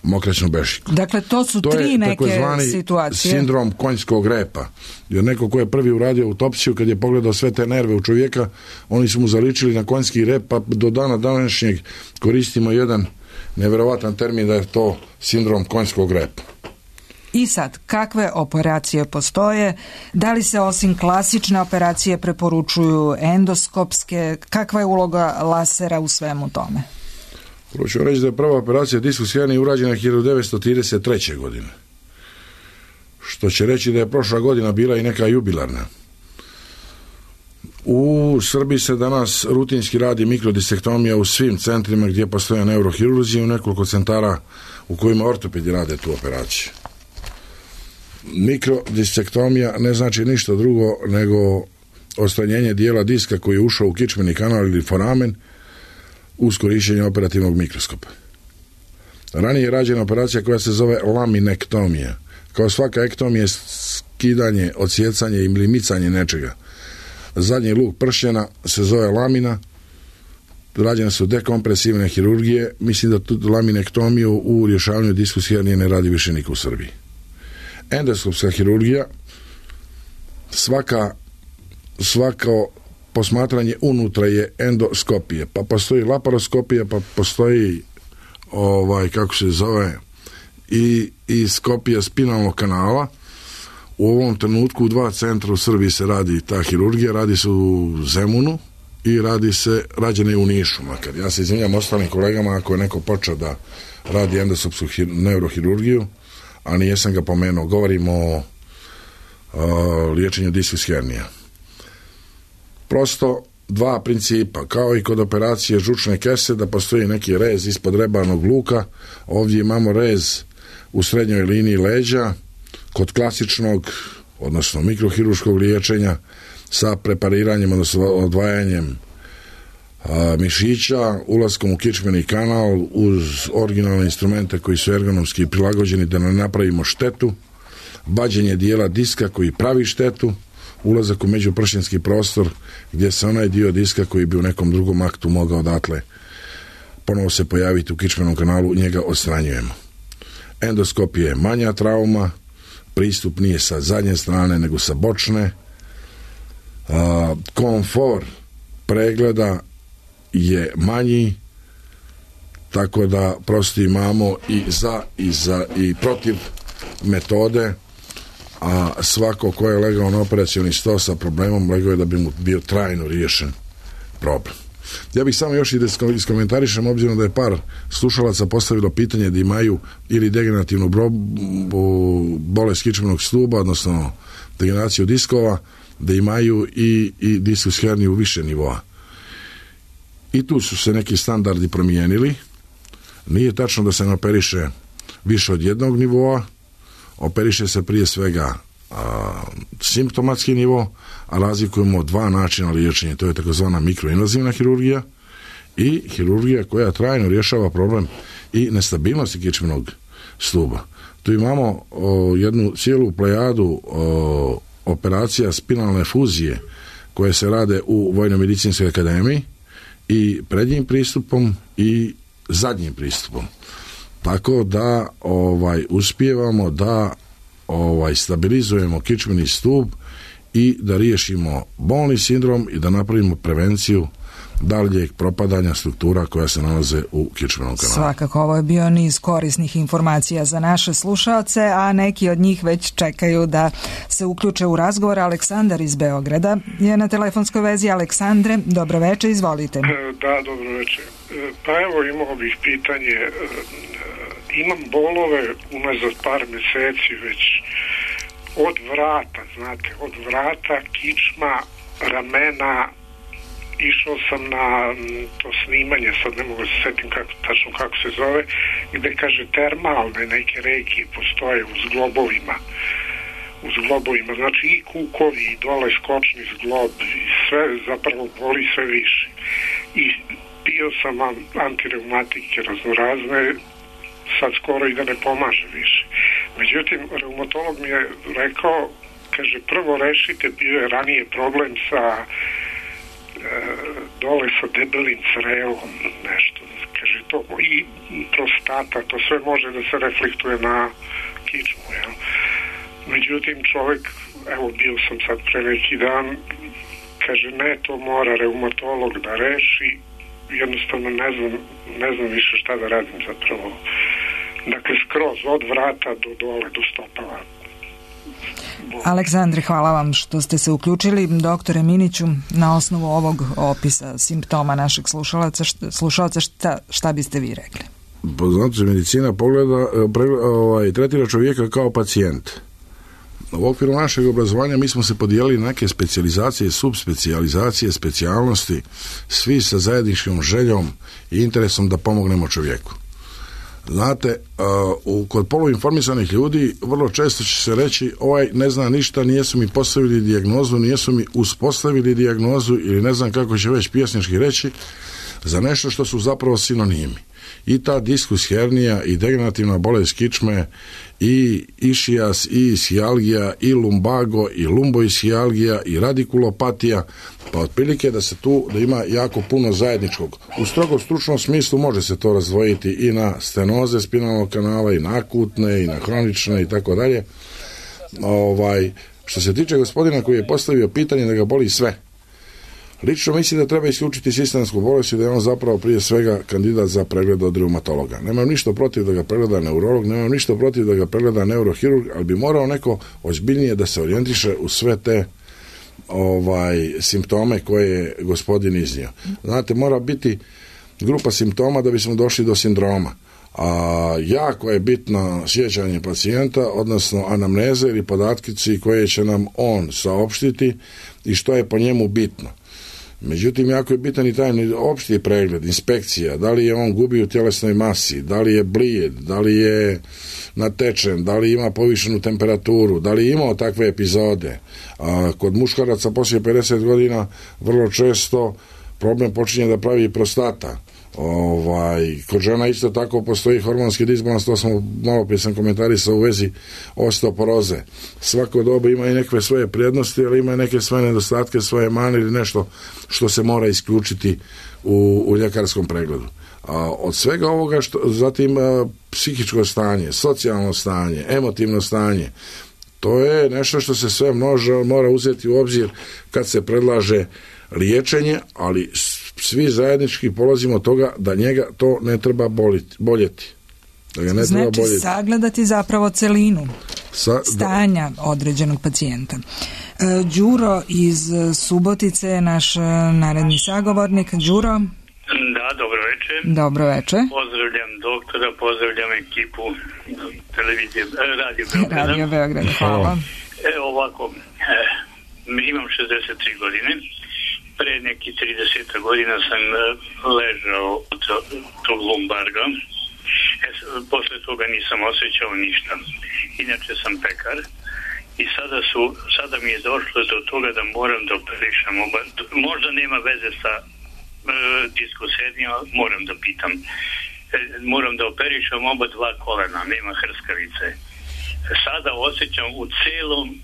mokraćnu bešiku. Dakle, to su to tri neke situacije. To je sindrom konjskog repa. Jer neko ko je prvi uradio autopsiju, kad je pogledao sve te nerve u čovjeka, oni su mu zaličili na konjski rep, pa do dana današnjeg koristimo jedan neverovatan termin da je to sindrom konjskog repa. I sad, kakve operacije postoje? Da li se osim klasične operacije preporučuju endoskopske? Kakva je uloga lasera u svemu tome? Prvo ću reći da je prva operacija diskus hernije urađena hiljadu devetsto trideset treće. godine. Što će reći da je prošla godina bila i neka jubilarna. U Srbiji se danas rutinski radi mikrodisektomija u svim centrima gdje postoje neurohirurzi, u nekoliko centara u kojima ortopedi rade tu operaciju. Mikrodisektomija ne znači ništa drugo nego odstranjenje dijela diska koji je ušao u kičmeni kanal ili foramen uz korištenje operativnog mikroskopa. Ranije je rađena operacija koja se zove laminektomija. Kao svaka ektomija je skidanje, odsjecanje ili micanje nečega. Zadnji luk pršljena se zove lamina. Rađene su dekompresivne hirurgije. Mislim da tu laminektomiju u rješavanju diskus hernije ne radi više niko u Srbiji. Endoskopska hirurgija, svaka svako posmatranje unutra je endoskopije, pa postoji laparoskopija, pa postoji ovaj, kako se zove i, i skopija spinalnog kanala. U ovom trenutku u dva centra u Srbiji se radi ta hirurgija, radi se u Zemunu i radi se, rađene u Nišu makar. Ja se izvinjam ostalim kolegama ako je neko počeo da radi endoskopsku hir, neurohirurgiju, a nijesam ga pomenuo. Govorimo o, o liječenju diskus hernija. Prosto dva principa, kao i kod operacije žučne kese, da postoji neki rez ispod rebarnog luka, ovdje imamo rez u srednjoj liniji leđa, kod klasičnog, odnosno mikrohirurškog liječenja, sa prepariranjem, odnosno odvajanjem a, mišića, ulaskom u kičmeni kanal uz originalne instrumente koji su ergonomski prilagođeni da ne napravimo štetu, vađenje dijela diska koji pravi štetu, ulazak u međupršinski prostor gdje se onaj dio diska koji bi u nekom drugom aktu mogao odatle ponovo se pojaviti u kičmenom kanalu, njega odstranjujemo. Endoskopija je manja trauma, pristup nije sa zadnje strane nego sa bočne. A, komfor pregleda je manji, tako da prosto imamo i za i za i protiv metode, a svako ko je legao na operacioni sto sa problemom legao je da bi mu bio trajno riješen problem. Ja bih samo još i da iskomentarišem, obzirom da je par slušalaca postavilo pitanje da imaju ili degenerativnu bolest kičmenog stuba, odnosno degeneraciju diskova, da imaju i, i diskus herniju više nivoa. I tu su se neki standardi promijenili. Nije tačno da se ne operiše više od jednog nivoa, operiše se prije svega a, simptomatski nivo, a razlikujemo dva načina liječenja. To je takozvana mikroinvazivna hirurgija i hirurgija koja trajno rješava problem i nestabilnosti kičmenog stuba. Tu imamo o, jednu cijelu plejadu o, operacija spinalne fuzije koje se rade u Vojno-medicinskoj akademiji i prednjim pristupom i zadnjim pristupom. Tako da ovaj uspijevamo da ovaj stabilizujemo kičmeni stup i da riješimo bolni sindrom i da napravimo prevenciju daljeg propadanja struktura koja se nalaze u kičmenom kanalu. Svakako, ovo je bio niz korisnih informacija za naše slušaoce, a neki od njih već čekaju da se uključe u razgovor. Aleksandar iz Beograda je na telefonskoj vezi. Aleksandre, dobro večer, izvolite. Da, dobro večer. Pa evo, imao bih pitanje. Imam bolove unazad par mjeseci već od vrata, znate, od vrata, kičma, ramena. Išao sam na to snimanje, sad ne mogu se sjetim kako, tačno kako se zove, gdje kaže termalne neke regije postoje uz globovima, uz globovima, znači i kukovi, i dole skočni zglob, i sve zapravo boli sve više. I pio sam antireumatike raznorazne, sad skoro i da ne pomaže više. Međutim, reumatolog mi je rekao, kaže, prvo rešite, bio je ranije problem sa dole sa debelim crevom, nešto, kaže to, i prostata, to sve može da se reflektuje na kičmu, jel? Međutim, čovjek, evo bio sam sad pre neki dan, kaže ne, to mora reumatolog da reši, jednostavno ne znam, ne znam više šta da radim zapravo. Dakle, skroz od vrata do dole, do stopala. Aleksandre, hvala vam što ste se uključili. Doktore Miniću, na osnovu ovog opisa simptoma našeg slušalaca, šta, slušalca, šta, šta biste vi rekli? Znači, medicina pogleda, pregleda, ovaj, tretira čovjeka kao pacijent. U okviru našeg obrazovanja mi smo se podijelili na neke specijalizacije, subspecijalizacije, specijalnosti, svi sa zajedničkom željom i interesom da pomognemo čovjeku. Znate, uh, kod poluinformisanih ljudi vrlo često će se reći ovaj ne zna ništa, nijesu mi postavili dijagnozu, nijesu mi uspostavili dijagnozu ili ne znam kako će već pjesnički reći za nešto što su zapravo sinonimi. I ta diskus hernija i degenerativna bolest kičme i išias i ishialgija i lumbago i lumboishialgija i radikulopatija, pa otprilike da se tu da ima jako puno zajedničkog. U strogo stručnom smislu može se to razdvojiti i na stenoze spinalnog kanala i na akutne i na hronične i tako dalje. Ovaj, što se tiče gospodina koji je postavio pitanje da ga boli sve, lično mislim da treba isključiti sistemsku bolest i da je on zapravo prije svega kandidat za pregled od reumatologa. Nemam ništa protiv da ga pregleda neurolog, nemam ništa protiv da ga pregleda neurohirurg, ali bi morao neko ozbiljnije da se orijentiše u sve te ovaj simptome koje je gospodin iznio. Znate, mora biti grupa simptoma da bismo došli do sindroma. A jako je bitno sjećanje pacijenta, odnosno anamneze ili podatkici koje će nam on saopštiti i što je po njemu bitno. Međutim, jako je bitan i taj opšti pregled, inspekcija, da li je on gubi u tjelesnoj masi, da li je blijed, da li je natečen, da li ima povišenu temperaturu, da li je imao takve epizode. A kod muškaraca poslije pedeset godina vrlo često problem počinje da pravi prostata. Ovaj, kod žena isto tako postoji hormonski disbalans, to smo malo prije sam komentarisao u vezi osteoporoze. Svako doba ima i neke svoje prednosti, ali ima i neke svoje nedostatke, svoje mane ili nešto što se mora isključiti u, u ljekarskom pregledu. A od svega ovoga, što, zatim a, psihičko stanje, socijalno stanje, emotivno stanje, to je nešto što se sve može, mora uzeti u obzir kad se predlaže liječenje, ali svi zajednički polazimo od toga da njega to ne treba boliti, boljeti. Da ga ne znači treba boljeti. sagledati zapravo celinu Sa, stanja da. određenog pacijenta. E, Đuro iz Subotice je naš naredni sagovornik. Đuro? Da, dobro večer. Dobro večer. Pozdravljam doktora, pozdravljam ekipu televizije, Radio Beograda. Radio Beograda, hvala. Evo ovako, eh, imam šezdeset tri godine. Pre neki trideset godina sam ležao od tog lumbarga. E, posle toga nisam osjećao ništa. Inače sam pekar. I sada su, sada mi je došlo do toga da moram da operišem oba, možda nema veze sa e, diskusenija, moram da pitam. E, moram da operišem oba dva kolena, nema hrskavice. Sada osjećam u celom e,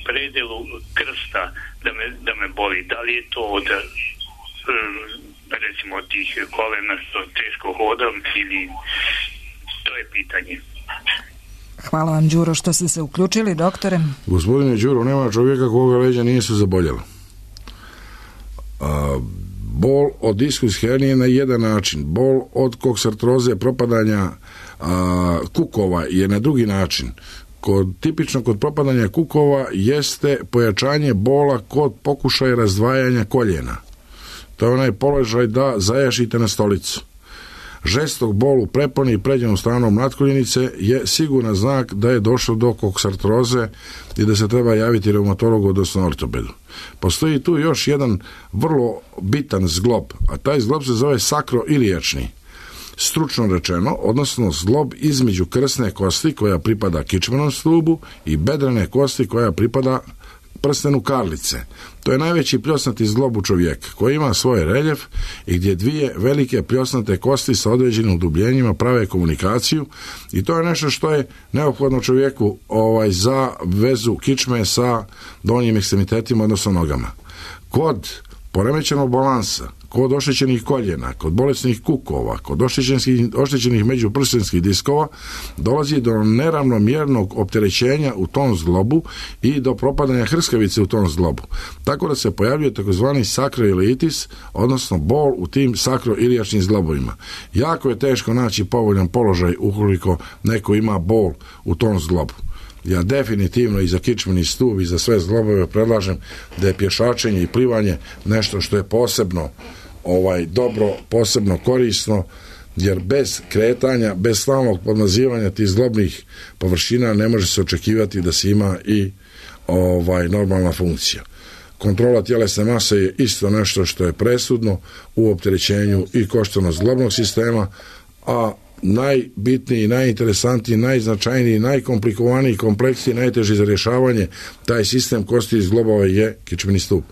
predelu krsta da me, da me boli. Da li je to od e, recimo od tih kolena što teško hodam ili to je pitanje. Hvala vam, Đuro, što ste se uključili, doktore. Gospodine Đuro, nema čovjeka koga leđa nije se zaboljela. A, bol od diskus hernije na jedan način, bol od koksartroze, propadanja a, kukova je na drugi način. Kod, tipično kod propadanja kukova jeste pojačanje bola kod pokušaja razdvajanja koljena. To je onaj položaj da zajašite na stolicu. Žestok bol u preponi i pređenom stranom natkoljenice je siguran znak da je došlo do koksartroze i da se treba javiti reumatologu, odnosno ortopedu. Postoji tu još jedan vrlo bitan zglob, a taj zglob se zove sakroilijačni. Stručno rečeno, odnosno zglob između krsne kosti koja pripada kičmenom stubu i bedrene kosti koja pripada prstenu karlice. To je najveći pljosnati zglob u čovjeka, koji ima svoj reljef i gdje dvije velike pljosnate kosti sa određenim udubljenjima prave komunikaciju i to je nešto što je neophodno čovjeku ovaj, za vezu kičme sa donjim ekstremitetima, odnosno nogama. Kod poremećenog balansa, kod oštećenih koljena, kod bolesnih kukova, kod oštećenih, oštećenih međuprstenskih diskova dolazi do neravnomjernog opterećenja u tom zglobu i do propadanja hrskavice u tom zglobu. Tako da se pojavljuje takozvani sakroilitis, odnosno bol u tim sakroilijačnim zglobovima. Jako je teško naći povoljan položaj ukoliko neko ima bol u tom zglobu. Ja definitivno i za kičmeni stup i za sve zglobove predlažem da je pješačenje i plivanje nešto što je posebno ovaj dobro, posebno korisno, jer bez kretanja, bez stalnog podmazivanja tih zglobnih površina ne može se očekivati da se ima i ovaj normalna funkcija. Kontrola tjelesne mase je isto nešto što je presudno u opterećenju i koštano-zglobnog sistema, a najbitniji, najinteresantniji, najznačajniji, najkomplikovaniji, kompleksniji, najteži za rješavanje taj sistem kosti i zglobova je kičmeni stup.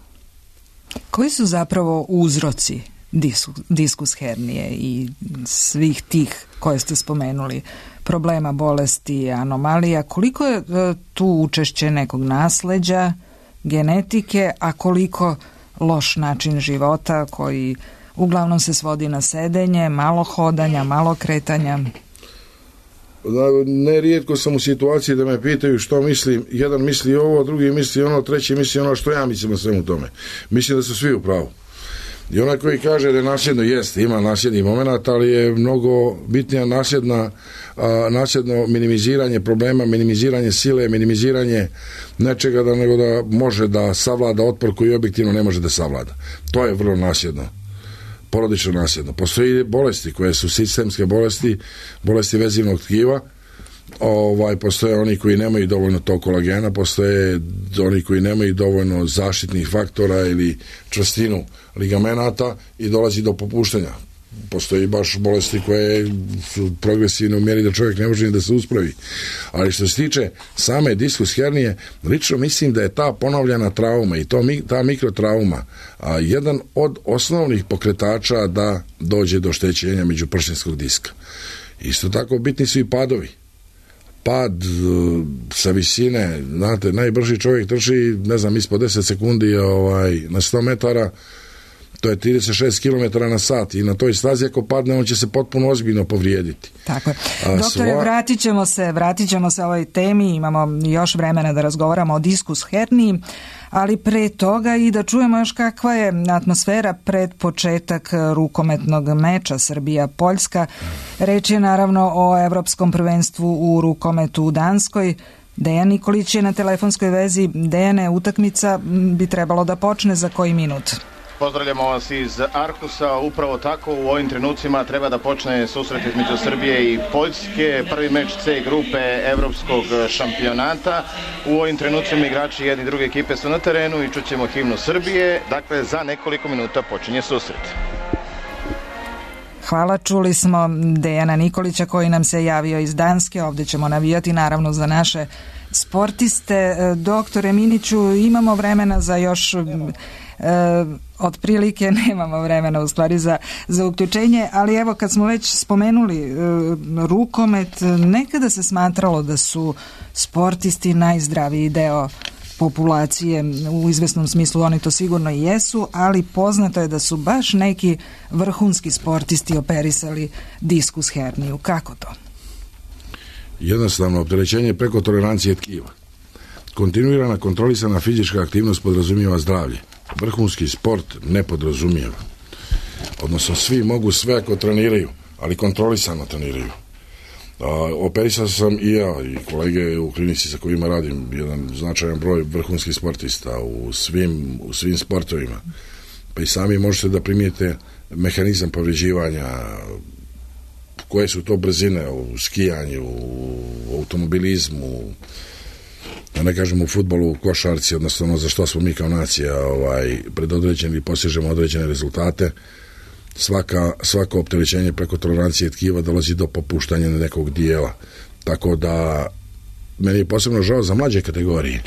Koji su zapravo uzroci diskus, diskus hernije i svih tih koje ste spomenuli, problema, bolesti, anomalija? Koliko je tu učešće nekog nasleđa, genetike, a koliko loš način života koji uglavnom se svodi na sedenje, malo hodanja, malo kretanja? Nerijetko sam u situaciji da me pitaju što mislim. Jedan misli ovo, drugi misli ono, treći misli ono što ja mislim o svemu tome. Mislim da su svi u pravu. I onaj koji kaže da je nasljedno, jeste, ima nasljedni moment, ali je mnogo bitnija nasljedna, a, nasljedno minimiziranje problema, minimiziranje sile, minimiziranje nečega da nego da može da savlada otpor koji objektivno ne može da savlada. To je vrlo nasljedno. Porodično nasljedno. Postoji bolesti koje su sistemske bolesti, bolesti vezivnog tkiva, ovaj, postoje oni koji nemaju dovoljno tog kolagena, postoje oni koji nemaju dovoljno zaštitnih faktora ili čvrstinu ligamenata i dolazi do popuštanja. Postoji baš bolesti koje su progresivne u mjeri da čovjek ne može ni da se uspravi. Ali što se tiče same diskus hernije, lično mislim da je ta ponovljena trauma i to, ta mikrotrauma a, jedan od osnovnih pokretača da dođe do oštećenja međuprštinskog diska. Isto tako bitni su i padovi. Pad sa visine, znate, najbrži čovjek trči, ne znam, ispod deset sekundi ovaj, na sto metara, To je trideset šest kilometara na sat i na toj stazi ako padne on će se potpuno ozbiljno povrijediti. Tako je. Doktore, sva... vratit ćemo se, vratit ćemo se ovoj temi, imamo još vremena da razgovaramo o diskus herniji, ali pre toga i da čujemo još kakva je atmosfera pred početak rukometnog meča Srbija-Poljska. Reč je naravno o Evropskom prvenstvu u rukometu u Danskoj. Dejan Nikolić je na telefonskoj vezi. Dejane, utakmica bi trebalo da počne za koji minut? Pozdravljamo vas iz Arhusa, upravo tako u ovim trenucima treba da počne susret između Srbije i Poljske, prvi meč C grupe evropskog šampionata. U ovim trenucima igrači jedne i druge ekipe su na terenu i čućemo himnu Srbije, dakle za nekoliko minuta počinje susret. Hvala, čuli smo Dejana Nikolića koji nam se javio iz Danske, ovdje ćemo navijati naravno za naše sportiste. Doktore Miniću, imamo vremena za još... E, otprilike nemamo vremena u stvari za, za uključenje, ali evo kad smo već spomenuli e, rukomet, nekada se smatralo da su sportisti najzdraviji deo populacije, u izvesnom smislu oni to sigurno i jesu, ali poznato je da su baš neki vrhunski sportisti operisali diskus herniju. Kako to? Jednostavno, opterećenje preko tolerancije tkiva. Kontinuirana kontrolisana fizička aktivnost podrazumijeva zdravlje. Vrhunski sport ne podrazumijeva. Odnosno, svi mogu sve ako treniraju, ali kontrolisano treniraju. A, operisao sam i ja i kolege u klinici sa kojima radim jedan značajan broj vrhunskih sportista u svim, u svim sportovima. Pa i sami možete da primijete mehanizam povređivanja, koje su to brzine u skijanju, u automobilizmu, da ne kažem u fudbalu, u košarci, odnosno ono za što smo mi kao nacija ovaj, predodređeni i postižemo određene rezultate. Svaka, svako opterećenje preko tolerancije tkiva dolazi do popuštanja nekog dijela. Tako da meni je posebno žao za mlađe kategorije.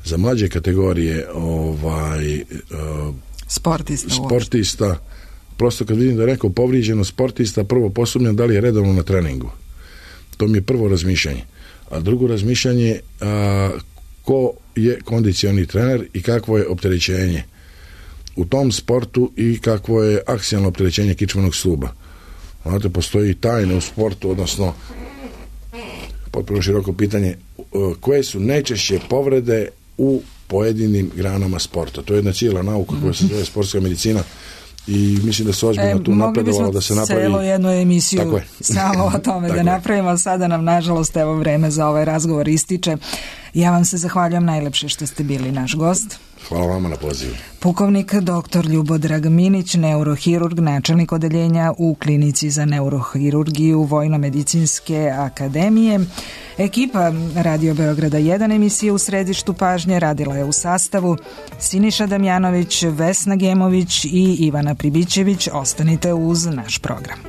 Za mlađe kategorije ovaj, uh, sportista, sportista prosto kad vidim da je neko povrijeđeno sportista, prvo posumnjam da li je redovno na treningu. To mi je prvo razmišljanje. A drugo razmišljanje, a, ko je kondicioni trener i kakvo je opterećenje u tom sportu i kakvo je aksijalno opterećenje kičmenog stuba. Znate, postoji tajne u sportu, odnosno potpuno široko pitanje, koje su najčešće povrede u pojedinim granama sporta. To je jedna cijela nauka koja se zove sportska medicina i mislim da se ozbiljno e, tu napredovalo da se napravi. Celo jednu emisiju samo o tome da napravimo. Sada nam nažalost evo vreme za ovaj razgovor ističe. Ja vam se zahvaljujem najlepše što ste bili naš gost. Hvala vama na pozivu. Pukovnik doktor Ljubodrag Minić, neurohirurg, načelnik odeljenja u klinici za neurohirurgiju Vojno-medicinske akademije. Ekipa Radio Beograda jedan emisije u središtu pažnje radila je u sastavu Siniša Damjanović, Vesna Gemović i Ivana Pribićević. Ostanite uz naš program.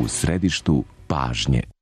Središtu pažnje.